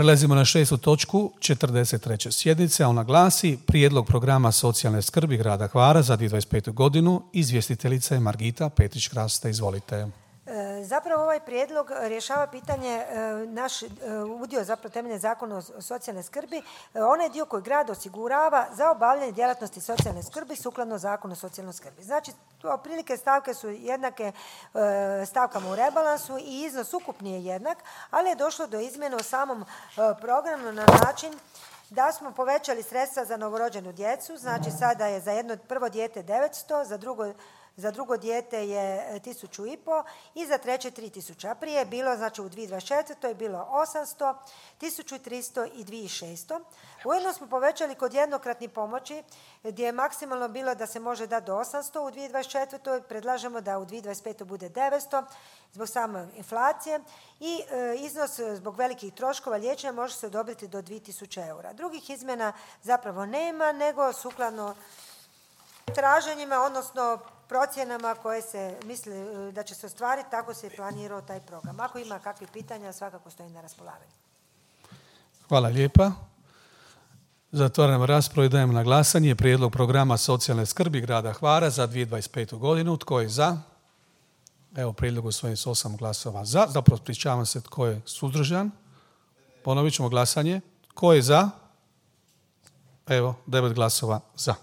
Prelazimo na 6. točku 43. sjednice, a ona glasi Prijedlog programa socijalne skrbi grada Hvara za 2025. godinu. Izvjestiteljica je Margita Petrić-Krasta. Izvolite. Zapravo ovaj prijedlog rješava pitanje naš udio zapravo temeljem Zakona o socijalnoj skrbi, onaj dio koji grad osigurava za obavljanje djelatnosti socijalne skrbi sukladno Zakonu o socijalnoj skrbi. Znači, otprilike stavke su jednake stavkama u rebalansu i iznos ukupni je jednak, ali je došlo do izmjene u samom programu na način da smo povećali sredstva za novorođenu djecu, znači sada je za prvo dijete 900, za drugo dijete je 1.500 i za treće 3.000. A prije je bilo, znači u 2024. je bilo 800, 1.300 i 2.600. Ujedno smo povećali kod jednokratnih pomoći gdje je maksimalno bilo da se može dati do 800 u 2024. Predlažemo da u 2025. bude 900 zbog same inflacije i iznos zbog velikih troškova liječenja može se odobriti do 2.000 eura. Drugih izmjena zapravo nema, nego sukladno traženjima, odnosno procjenama koje se misli da će se ostvariti, tako se je planirao taj program. Ako ima kakvih pitanja, svakako stoji na raspolaganju. Hvala lijepa. Zatvaram raspravu i dajem na glasanje prijedlog programa socijalne skrbi grada Hvara za 2025. godinu. Tko je za? Evo, prijedlog usvojen s 8 glasova za. Zapravo, ispričavam se, tko je suzdržan. Ponovit ćemo glasanje. Tko je za? Evo, 9 glasova za.